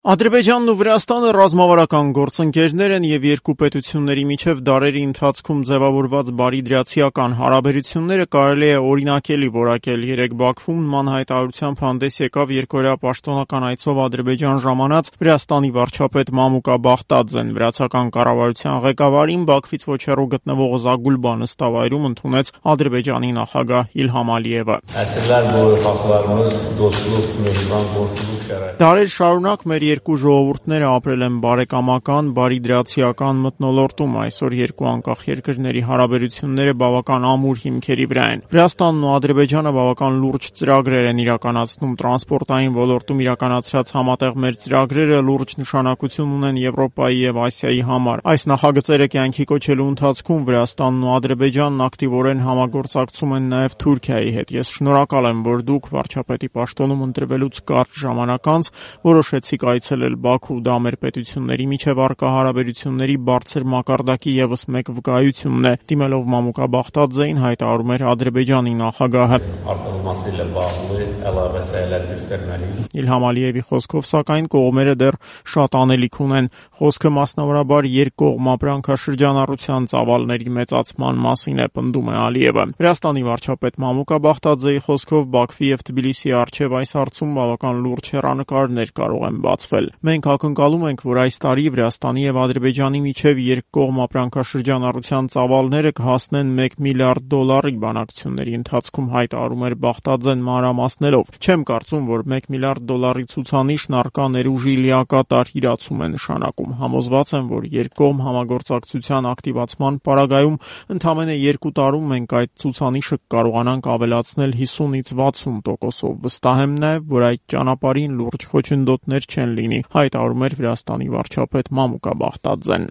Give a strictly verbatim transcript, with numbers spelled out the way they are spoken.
Ադրբեջանն ու Վրաստանը ռազմավարական գործընկերներ են և երկու պետությունների միջև դարերի ընթացքում ձևավորված բարիդրացիական հարաբերությունները կարելի է օրինակելի որակել։ Երեկ Բաքվում նման հայտարարությամբ հանդես եկավ երկօրյա պաշտոնական այցով Ադրբեջան ժամանած Վրաստանի վարչապետ Մամուկա Բաղդադզեն։ Վրացական կառավարության ղեկավարին Բաքվից ոչ հեռու գտնվող Զագուլբա նստավայրում ընդունեց Ադրբեջանի նախագահ Իլհամ Ալիևը։ Դարեր շարունակ մեր երկու ժողովուրդները ապրել են բարեկամական, բարիդրացիական մթնոլորտում։ Այսօր երկու անկախ երկրների հարաբերությունները բավական ամուր հիմքերի վրա են։ Վրաստանն ու Ադրբեջանը բավական լուրջ ծրագրեր են իրականացնում տրանսպորտային ոլորտում իրականացրած համատեղ մեր ծրագրերը լուրջ նշանակություն ունեն Եվրոպայի և Ասիայի համար։ Այս նախագծերը կյանքի կոչելու ընթացքում Վրաստանն ու Ադրբեջանն ակտիվորեն համագործակցում են նաև Թուրքիայի հետ։ Ես շնորհակալ եմ, որ դուք վարչապետի պաշտոնում ընտրվելուց կարճ ժամանակ անց որոշեցիք այցելել Բաքու։ Դա մեր պետությունների միջև առկա հարաբերությունների բարձր մակարդակի ևս մեկ վկայությունն է, դիմելով Մամուկա Բաղդադզեին հայտարարում էր Ադրբեջանի նախագահը։ Իլհամ Ալիևի խոսքով, սակայն, կողմերը դեռ շատ անելիք ունեն։ Խոսքը մասնավորաբար երկկողմ ապրանքաշրջանառության ծավալների մեծացման մասին է, պնդում է Ալիևը։ Վրաստանի վարչապետ Մամուկա Բաղդադզեի խոսքով Բաքվի և Թբիլիսիի առջև այս հարցում բավական լուրջ հեռանկարներ կարող են բացվել։ Մենք ակնկալում ենք, որ այս տարի Վրաստանի և Ադրբեջանի միջև երկկողմ ապրանքաշրջանառության ծավալները կհասնեն մեկ միլիարդ դոլարի։ Բանակցությունների ընթացքում հայտարարում էր Բաղդադզեն մանրամասներով։ Չեմ կարծում, որ մեկ միլիարդ դոլարի ցուցանիշն առկա ներուժի լիակատար իրացում է նշանակում։ Համոզված եմ, որ երկկողմ համագործակցության ակտիվացման պարագայում ընդամենը երկու տարում մենք այդ ցուցանիշը կկարողանանք ավելացնել հիսունից վաթսուն տոկոսով։ Վստահ եմ նաև, որ այդ ճանապարհին լուրջ խոչընդոտներ չեն լինի, հայտարարում էր Վրաստանի վարչապետ Մամուկա Բաղդադզեն։